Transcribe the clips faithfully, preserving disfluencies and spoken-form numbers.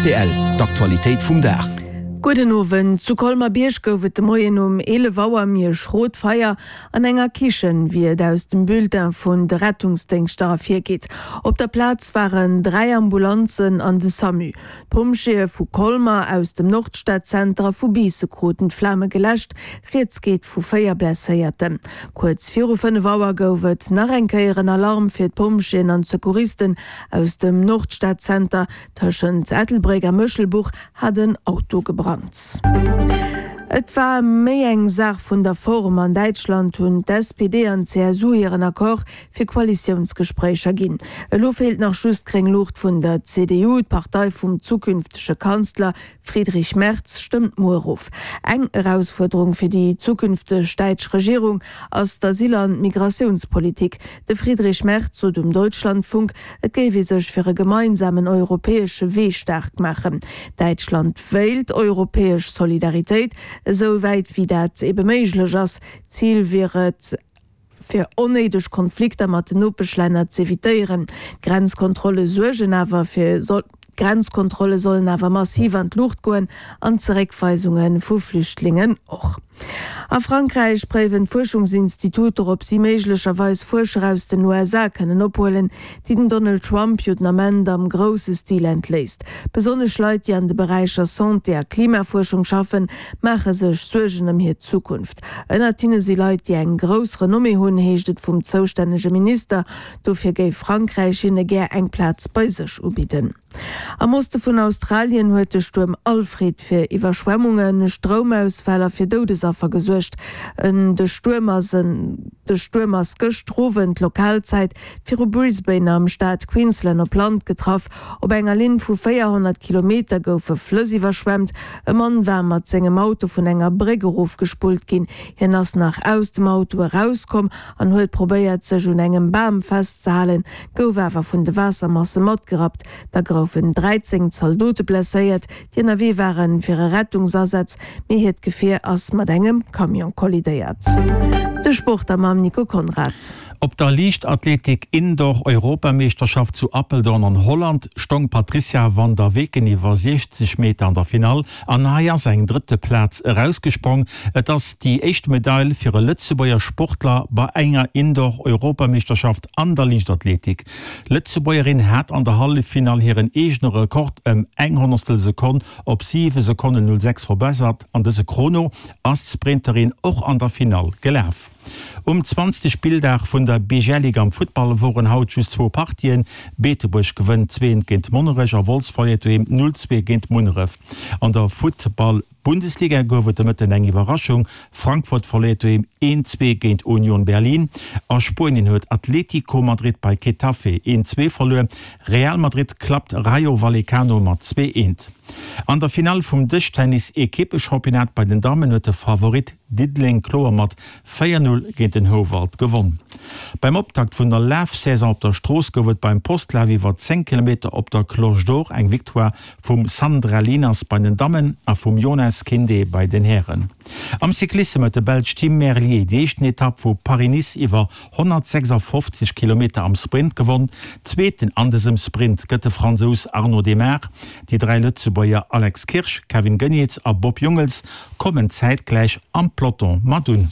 Rtl, D'Aktualitéit vum Dag. Gudden Owend. Zu Colmer-Bierg gouf et de Moien um eelef Auer méi e schrot Feier an enger Kichen, wéi et aus dem Bulletin vun de Rettungsdéngschter ervirgeet. Op der Plaz waren dräi Ambulanzen an de Samu. D'Pompjeeë vu Colmer, aus dem Nordstadzenter a vu Biisse kruten d'Flame geläscht. Rieds geet vu véier Blesséierten. Kuerz viru fënnef Auer gouf et nach eng Kéier en Alarm fir d'Pompjeeën an d'Secouristen aus dem Nordstadzenter. Tëschent Ettelbréck a Méchelbuch hat en Auto gebrannt. Et war méi eng Saach vun der Form. An Däitschland hunn d'SPD an d'CSU hiren Accord fir Koalitiounsgespréicher ginn. Elo feelt nach just d'gréng Luucht vun der C D U. D'Partei vum zukünftege Kanzler Friedrich Merz stëmmt muer of. Eng Erausfuerderung fir déi zukünfteg däitsch Regierung ass d'Asyl an d'Migratiounspolitik. De Friedrich Merz sot um Deutschlandfunk, et géif ee sech fir e gemeinsamen europäesche Wee staark maachen. Däitschland wéilt europäesch Solidaritéit, esou wäit wéi dat ebe méiglech ass. Zil wier et, fir onnéideg Konflikter mat den Nopeschlänner z'evitéieren. D'Grenzkontrolle suergen awer fir D'Grenzkontrolle sollen awer massiv an d'Luucht goen an d'Zeréckweisunge vu Flüchtlingen och. A Frankräich préiwen d'Fuerschungsinstituter, ob si méiglecherweis Fuerscher aus den U S A kënnen ophuelen, déi den Donald Trump jo den Ament am grousse Stil entléisst. Besonnesch Leit, déi an de Beräicher Santé a Klimafuerschung schaffen, maache sech Suergen ëm hir Zukunft. Ënnert hinne si Leit, déi eng grouss Renommée hunn, heescht et vum zoustännege Minister. Dofir géif Frankräich hinne gär eng Plaz bei sech ubidden. Am Oste vun Australien huet de Stuerm Alfred fir Iwwerschwemmungen, Stroumausfäll a fir Doudesaffer gesuergt. De Stuerm ass de Stuerm ass gëschter Owend Lokalzäit viru Brisbane am Staat Queensland op Land getraff. Op enger Linn vu véierhonnert Kilometer goufe Flëss iwwerschwemmt. E Mann war mat sengem Auto vun enger Bréck erofgespullt ginn. Hien ass nach aus dem Auto erauskomm an huet probéiert, sech un engem Bam festzehalen, gouf awer vun de Waassermasse matgerappt. Da goufen dräizéng Zaldote blesséiert, déi ënnerwee waren fir e Rettungsasaz, mee hiert Gefier ass mat engem Camion kollidéiert. De Sport da mam Nico Conrad. Op der Liichtathletik Indoor Europameeschterschaft zu Apeldoorn an Holland stong d'Patrizia van der Weken iwwer siechzeg Meter an der Finall an hei ass eng drëtte Plaz erausgesprong. Et ass déi éischt Medail fir e Lëtzebuerger Sportler bei enger Indoor Europameeschterschaft an der Liichtathletik. D'Lëtzebuergerin hat an der Halleffinall hiren eegene Rekord ëm eng Honnertstel Sekonn op siwe Sekonnen null sechs verbessert. An dëse Chrono ass d'Sprinterin och an der Finall gelaf. Um zwanzegste Spilldag vun der B G L Liga am Futtball woren haut just zwou Partien. Beetebuerg gewënnt zwee eent géint Monnerech a Wolz verléiert doheem null zwee géint Munneref. An der Futtball Bundesliga gouf et de Mëtten eng Iwwerraschung, Frankfurt verléiert doheem een zwee géint Union Berlin. A Spuenien huet Atlético Madrid bei Getafe een zwee verluer. Real Madrid klappt Rayo Vallecano mat zwee eent. An der Finall vum Dëschtennis-Ekippechampionnat bei den Dammen huet de Favorit Diddeleng kloer mat véier null géint den Houwald gewonn. Beim Optakt vun der Lafsaison op der Strooss gouf et beim Postlaf iwwer zéng Kilometer op der Cloche d'Or eng Victoire vum Sandra Lieners bei den Dammen a vum Jonas Kinde bei den Hären. Am Cyclissem huet de Belsch Tim Merlier déi éischten Etapp vu Paris-Nice iwwer honnertsechsafofzeg Kilometer am Sprint gewonn. Zweeten an dësem Sprint gëtt de Fransous Arnaud Démare. Déi dräi Lëtzebuerger Alex Kirsch, Kevin Geniets a Bob Jungels kommen zäitgläich am Peloton mat un.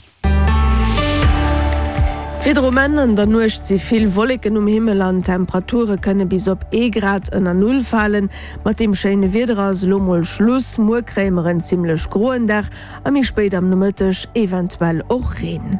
Wieder um Enn, An der Nuecht si vill Wolleken um Himmel an d'Temperature kënne bis op ee Grad ënner Null falen. Mat deem schéine Wieder ass elo mol Schluss. Muer kréie mer en zimmlech groen Dag a méi spéit am Nomëtteg eventuell och Reen.